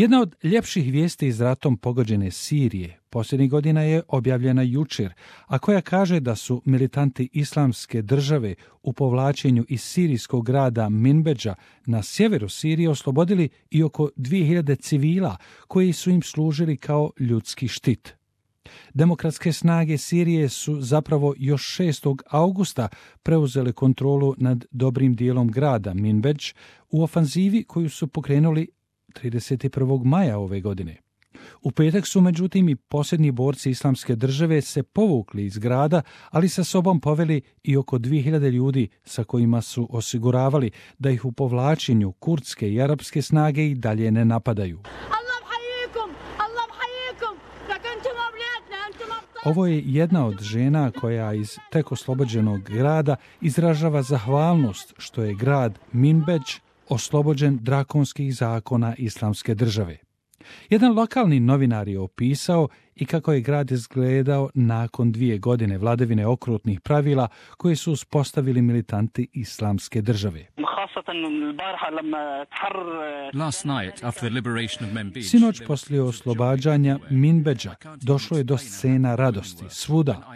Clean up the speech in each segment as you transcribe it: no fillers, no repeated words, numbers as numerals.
Jedna od ljepših vijesti iz ratom pogođene Sirije posljednjih godina je objavljena jučer, a koja kaže da su militanti Islamske države u povlačenju iz sirijskog grada Minbedža na sjeveru Sirije oslobodili i oko 2000 civila koji su im služili kao ljudski štit. Demokratske snage Sirije su zapravo još 6. augusta preuzele kontrolu nad dobrim dijelom grada Minbedž u ofanzivi koju su pokrenuli 31. maja ove godine. U petak su međutim i posljednji borci Islamske države se povukli iz grada, ali sa sobom poveli i oko 2000 ljudi sa kojima su osiguravali da ih u povlačenju kurdske i arapske snage i dalje ne napadaju. Ovo je jedna od žena koja iz tek oslobođenog grada izražava zahvalnost što je grad Minbedž oslobođen drakonskih zakona Islamske države. Jedan lokalni novinar je opisao i kako je grad izgledao nakon 2 godine vladavine okrutnih pravila koje su uspostavili militanti Islamske države. Sinoć poslije oslobađanja Minbedža došlo je do scena radosti svuda.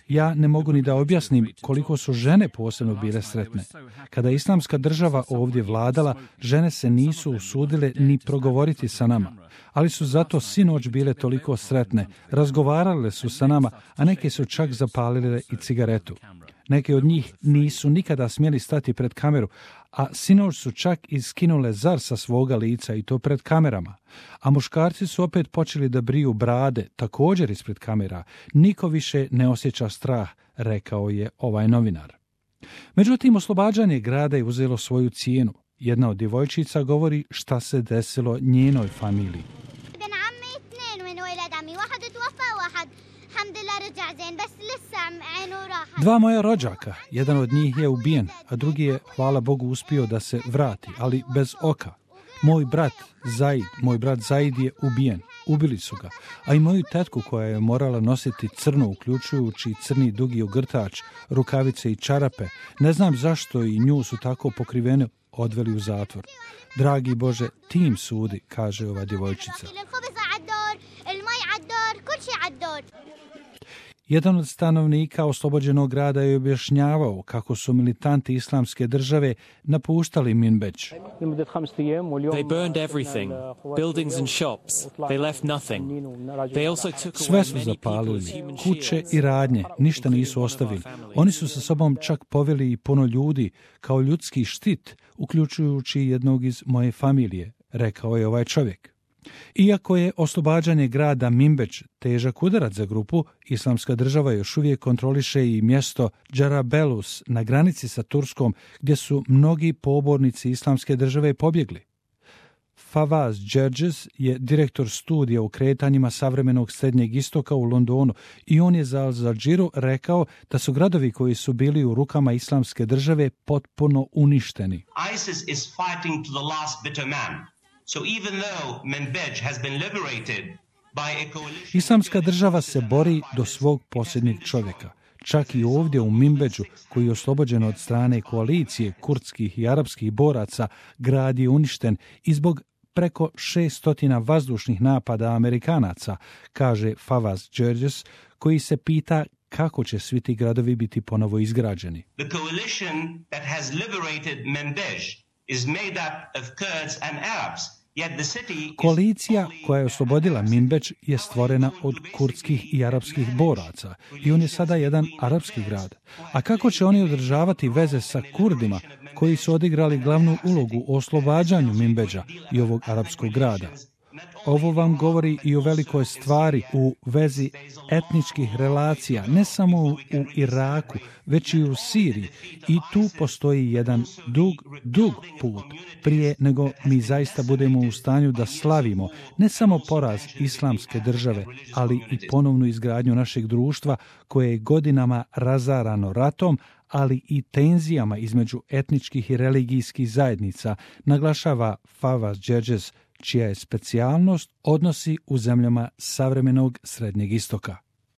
Ja ne mogu ni da objasnim koliko su žene posebno bile sretne. Kada je Islamska država ovdje vladala, žene se nisu usudile ni progovoriti sa nama, ali su zato sinoć bile toliko sretne, razgovarale su sa nama, a neke su čak zapalile i cigaretu. Neke od njih nisu nikada smjeli stati pred kameru, a sinoć su čak iskinule zar sa svoga lica i to pred kamerama. A muškarci su opet počeli da briju brade, također ispred kamera. Niko više ne osjeća strah, rekao je ovaj novinar. Međutim, oslobađanje grada je uzelo svoju cijenu. Jedna od djevojčica govori šta se desilo njenoj familiji. Dva moja rođaka, jedan od njih je ubijen, a drugi je, hvala Bogu, uspio da se vrati, ali bez oka. Moj brat Zaid je ubijen, ubili su ga, a i moju tetku koja je morala nositi crno, uključujući crni dugi ogrtač, rukavice i čarape, ne znam zašto i nju su tako pokrivene odveli u zatvor. Dragi Bože, ti im sudi, kaže ova djevojčica. Jedan od stanovnika oslobođenog grada je objašnjavao kako su militanti Islamske države napuštali Minbedž. Sve su zapalili, kuće i radnje, ništa nisu ostavili. Oni su sa sobom čak poveli i puno ljudi kao ljudski štit, uključujući jednog iz moje familije, rekao je ovaj čovjek. Iako je oslobađanje grada Minbedž težak udarac za grupu, Islamska država još uvijek kontroliše i mjesto Džarabelus na granici sa Turskom, gdje su mnogi pobornici Islamske države pobjegli. Fawaz Gerges je direktor studija u kretanjima savremenog Srednjeg istoka u Londonu i on je za Al Jazeera rekao da su gradovi koji su bili u rukama Islamske države potpuno uništeni. ISIS is fighting to the last bitter man. So even though Minbedž has been liberated by a coalition... Islamska država se bori do svog posljednjeg čovjeka. Čak i ovdje u Minbedžu, koji je oslobođen od strane koalicije kurdskih i arapskih boraca, grad je uništen i zbog preko 600 vazdušnih napada Amerikanaca, kaže Fawaz Gerges, koji se pita kako će svi ti gradovi biti ponovo izgrađeni. The coalition that has liberated Minbedž is made up of Kurds and Arabs. Koalicija koja je oslobodila Minbedž je stvorena od kurdskih i arapskih boraca i on je sada jedan arapski grad. A kako će oni održavati veze sa Kurdima koji su odigrali glavnu ulogu u oslobađanju Minbedža i ovog arapskog grada? Ovo vam govori i o velikoj stvari u vezi etničkih relacija, ne samo u Iraku, već i u Siriji. I tu postoji jedan dug put prije nego mi zaista budemo u stanju da slavimo ne samo poraz Islamske države, ali i ponovnu izgradnju našeg društva koje je godinama razarano ratom, ali i tenzijama između etničkih i religijskih zajednica, naglašava Fawaz Gerges, čija je specijalnost odnosi u zemljama savremenog Srednjeg istoka.